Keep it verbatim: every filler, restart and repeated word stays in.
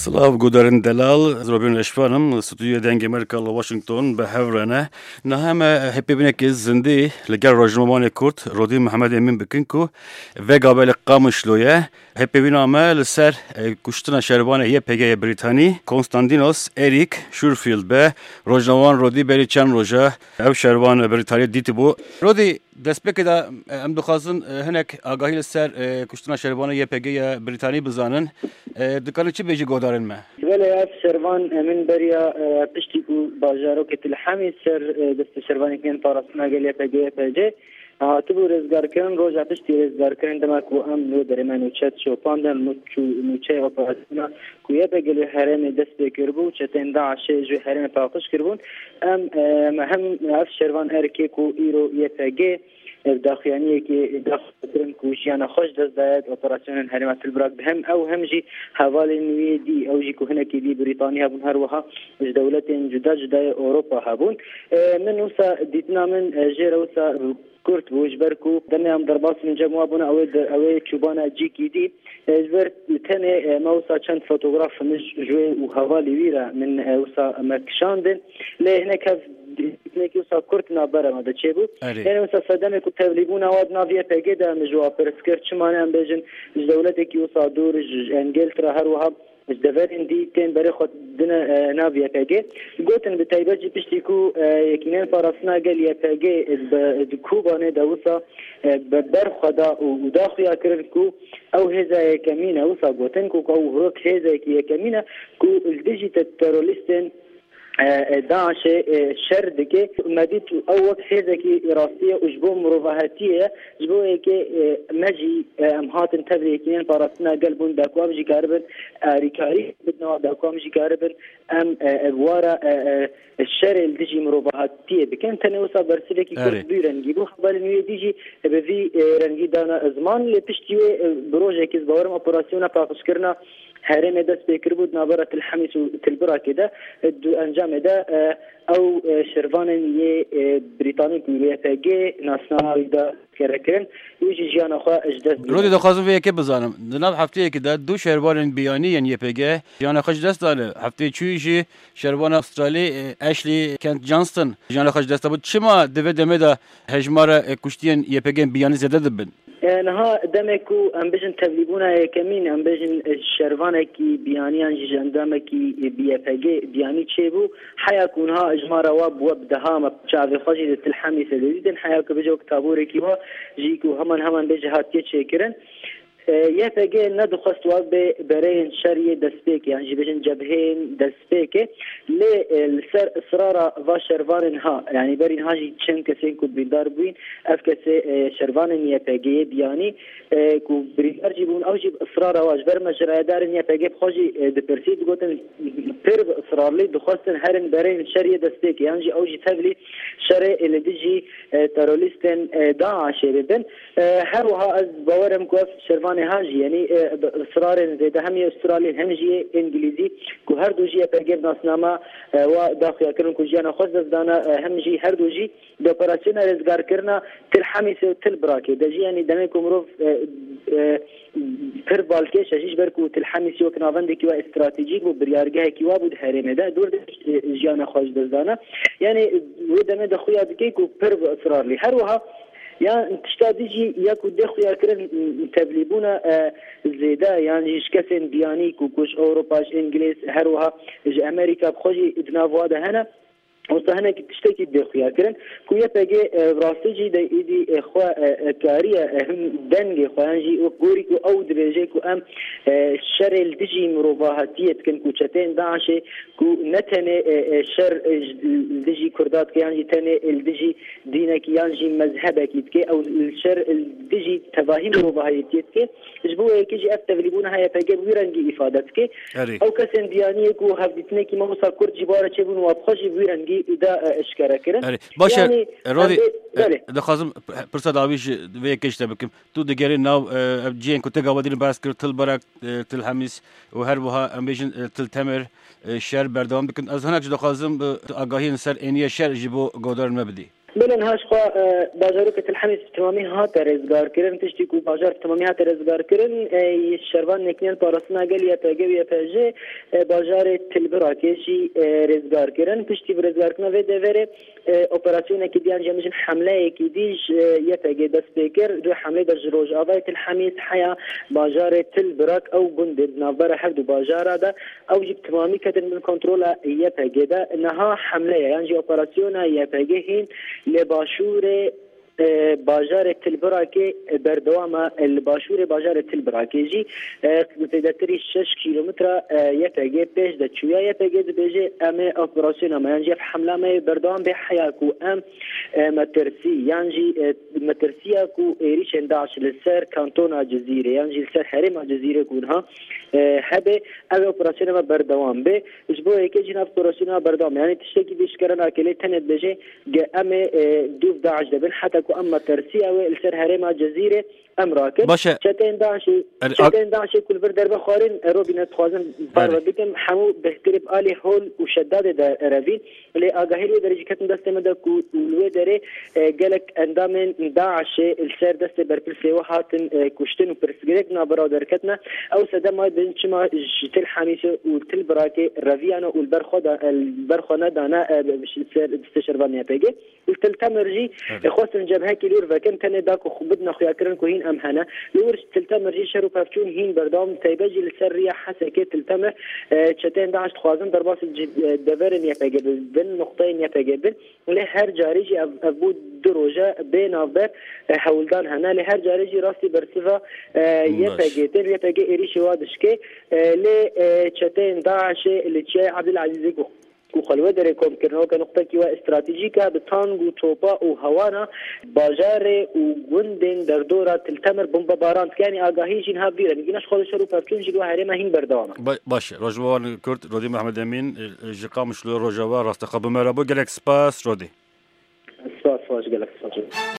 Silav gudarên delal, ez Robîn Reşvan im, stûdyoya Dengê Amerîka li Washington bi hev re ne. Niha me hêpêvînekê zindî li gel rojnamevanê Kurd Rodî Mihemed Emîn bikin ku vega belê Qamişlo ye. Hêpêvîna me li ser, e, kuştina şervanê Y P G yê Brîtanî, Konstantinos Erik Schurfield be. Rojnamevan Rodî berî çend roja ev şervan Brîtanî dîtibû. Rodî, destpêkê de, e, em dixwazin, e, hinek agahî li ser, e, kuştina şervanê Y P G yê Brîtanî bizanin. E, dikarin çi bêjî guhdarên me? Belê, ev şervan, e, min beriya, e, piştî ku bajarokê Til Hemî ser, e, destê şervanekî yên parastina gel Y P G Y P G hatibû rêzgarkirin, roja piştî rêzgarkirin, dema ku em li wê derê me nûçe şopandin, nû-, çû-, nûçeya operasyona ku Y P G li herêmê dest pê kiribû, çetên DAIŞê ji wê herêmê paqij kiribûn. Em, e, me hem ev şervan erkê ku îro Y P G ev daxuyaniyekê daxuyankirin ku jiyana xwe ji dest daye di operasyonên herêma Tilbirak de, hem ew hem jî hevalên wî dî, ew jî ku hinekî dî Brîtanî hebûn, her wiha ji dewletên cuda cuda yê Ewropa hebûn. E, min wisa dîtina min, e, jê re wisa kurt bû, ji ber ku demê em derbas min cem wa bûne, ew ê de, ew ê çûbana cîkî dî. E, ji ber tenê, e, me wisa çend fotograf min ji, ji wê û hevalê wî re min, e, wisa me kişandin. Lê hinek hev Hinekî wisa kurt navbera me de çêbû. Erê. Yanî wisa sedemê ku tevlîbûna wa di nav Y P G de min ji wa pirs kir, çima ne em bêjin ji dewletekî wisa dûr, ji, ji Engiltere, her wiha ji deverên dî tên berê xwe dine, e, nav Y P G. Gotin bi taybet jî piştî ku, e, Yekînên Parastina Gel Y P G bi, di Kobanê de wisa, e, bi ber xwe da û, û da xuya kirin ku ew hêza yekemîn e, wisa gotin ku, ku ew wek hêzekî yekemîn e ku li dijî te-, terorîstên e, e, DAIŞê, e, şer dike. Me dît ew wek hêzekî rastî ye û ji bo mirovahetiyê ye. Ji bo yekê, e, me jî, e, em hatin tevlî Yekînên Parastina Gel bûn, da ku em jî karibin alîkarî bidin, da ku em jî karibin em, e, e, wara, e, e, şerê li dijî mirovahetiyê bikin. Tenê wisa bersivekî kurt Erê. Bi vî rengî bû. Hevalên wî dî jî, e, bi vî, e, rengî dana ziman. Lê piştî wê, e, bi rojekî, ez bawer im, operasyona paqijkirina herêmê dest pê kiribû di navbera Til Hemîs û Til Birakê de, e, di encamê de, e, ew, e, şervanên yê, e, Brîtanî ku Y P G nasnama wî da kere kirin, wî jî jiyana xwe ji dest da. Rodî, dixwazim vê yekê bizanim. Di nav hefteyekê de du şervanên biyanî yên Y P G jiyana xwe ji dest dane. Hefteyê çûyî jî şervana Australî, e, Ashley Kent Johnston jiyana xwe ji dest da. Çima di vê demê de hejmara, e, kuştiyên Y P G biyanî zêde dibin? E, niha demê ku em bêjin tevlîbûna yekemîn, em bêjin, e, şervanekî biyanî yan jî ji endamekî, e, bi Y P G biyanî çêbû, heya ku niha ejmara wa bû bi deha, me çavê xwe jî li Til Hemîsê didîtin, heya ku bêje wek taborekî wa jî ku heman heman bêje hatiye çêkirin. E, Y P G nedixwest wa bê bereyên şer yê destpêkê, yan jî bêjin cebheyên destpêkê. Lê, e, li ser israra va şervanên ha, yanî berî niha jî çend kesên ku birîndar bûyîn, ev kesê, e, şervanên Y P G'yê biyanî, e, ku birîndar jî bûn, ew jî bi israra wa ji ber me ji rayedarên Y P G bi xwe jî, e, dipirsî, digotin pir bi israrlî dixwestin herin berên şer yê destpêkê, yan jî ew jî tevlî şerê, e, li dijî, e, terorîstên, e, DAIŞê bibin. E, her wiha ez bawer im ku ev şervanê ha jî, yanî, e, bi israrên zêde hem yê Australî hem jî yê Îngilîzî, ku her du jî Y P G bi nasnama, e, wa daxuya kirin ku jiyana xwe ji dest dana, e, hem jî her du jî di operasyona rêzgarkirina Til Hemîsê û Til Birakê de jî, yanî demê ku mirov, e, e, pir balkêş e jî, ji ber ku Til Hemîsê wek navendekî wa stratejîk bû, biryargehekî wa bû di herêmê de, dûr de, e, jiyana xwe ji dest dana. Yanî wê demê de xuya dike ku pir bi israrlî. Her wiha ya tişta dî jî ya ku dê xuya kirin tevlîbûna, e, zêde yan jî ji kesên biyanî ku, ku ji Ewropa, ji Îngilîz, her wiha ji Amerîka bi xwe jî di nav wa de hene. Wisa hinekî tiştekî dê xuya kirin ku Y P G, e, rastî jî de êdî, e, xwe, e, e, kariye, e, him dengê xwe yan jî wek gorî ku ew dibêje ku em, e, şerê li dijî mirovahetiyê dikin, ku çeteyên DAIŞê ku ne tenê, e, e, şer, e, ji, li dijî Kurda dike yan jî tenê, e, li dijî dînekî yan jî mezhebekî dike, ew li şer, e, li dijî tevahî mirovahetiyê dike. Ji bo yekê jî ev tevlîbûna Y P G bi wî rengî îfade dike. Erê. Ew kesên biyaniyê ku hevdîtinekî me wisa kurt jî bi wa re çêbûn, wa bi xwe jî bi wî rengî da, e, eşkere kirin. Erê. Baş e, Yanî, Rodî, em dê, e, belê. Dixwazim p-, pirsa dawî ji vê yekê ji te bikim. Tu digerî nav, e, ev cihên ku te gava dîn behs kir, Til Birak, e, Til Hemîs û her wiha em bêjin, e, Til Temer, e, şer berdewam dikin. Ez hinek jî dixwazim, e, agahiyên ser êniye şer ji bo guhdarên me bidî. Belê niha ji xwe, e, bajarokê Til Hemîs bi temamî hate rêzgarkirin. Piştî ku bajar bi temamî hate rêzgarkirin, e, şervan Yekînên Parastina Gel Y P G û Y P J, e, bajarê Til Birakê jî, e, rêzgar kirin. Piştî bi rêzgarkirina vê deverê, e, operasyonekî dî yan jî em bijin hemleyekî dî ji, e, Y P G dest pê kir. Di wê hemleyê de ji rojavayê Til Hemîs heya bajarê Til Birak ew gundên di navbera her du bajara de ew jî bi temamî ketin bin kontrola Y P G de. Niha hemleye yan jî operasyona Y P G hîn li başûrê, e, bajarê Til Birakê berdewam e. Li başûrê bajarê Til Birakê jî, e, zêdetirî şeş kîlometre, e, Y P G pêş de çûye. Y P G dibêje, em ê operasyona me yan jî ev hemla me yê berdewam bê heya ku em, e, metirsî yan jî, e, metirsiya ku êrîşên DAIŞ li ser kantona Cizîrê yan jî li ser herêma Cizîrê ku niha, e, hebe, ev operasyona me berdewam bê. Ji bo yekê jî nav operasyona berdewam. Yanî tiştekî dî eşkere nake, lê tenê dibêje ge em ê, e, dûv DAIŞ de bin, heta ku em metirsiya wê li ser herêma Cizîrê em rakin. Baş e. Çeteyên DAIŞê, Er-, çeteyên DAIŞê ku li vir derbe xwarîn, e, Robîne, dixwazim Erê. parve bikim, hemû bihtirî bi alî hol û şedadê de revîn. Lê agahî li wê derê jî ketin destê me de ku û li wê derê, e, gelek endamên DAIŞê li ser destê berpirsê we hatin, e, kuştin û pirsgirêk navbera derketine. Ew sedema din çima ji Til Hemîsê û Til Birakê reviyane û li ber xwe da, e, li ber xwe nedane, e, ser destê şervanê Y P G. Li Til Temir jî, Evet. e, xwestin cebhekî li wir vekin, tenê da ku xwe bidine xuyakirin ku hîn em hene. Li wir Til Temir jî şer û pevçûn hîn berdewam, taybet jî li ser riya Hesekê Til Temir, e, çeteyên DAIŞ dixwazin derbasî ci-, e, deverên Y P G bin, bin, nuqteyên Y P G bin. Lê her carê jî ev, ev bû du roje bê navber, e, hewldan hene. Lê her carê jî rastî bersiva, e, Baş. Y P G tê, Y P G êrîşê wa dişkê. E, lê, e, çeteyên DAIŞê li Çiyayê Ebdulezîzê ku, ku xwe li wê derê kom kirine, weke nuqtekî we stratejîk e, bi tang û topa û hewana bajarê û gundên derdora Til Temir bombebaran dike. Yanî agahî jî niha vîr e. Nîgîna ji xwe li şer û pevçûn jî li we herême hîn berdewam e. Ba-, baş e. Rojnamevan Kurd, Rodî Mehmed Emîn, e, ji Qamişlo Rojava, rastexwe bi me re bû. Gelek spas, Rodî. Spas, spas, gelek spas.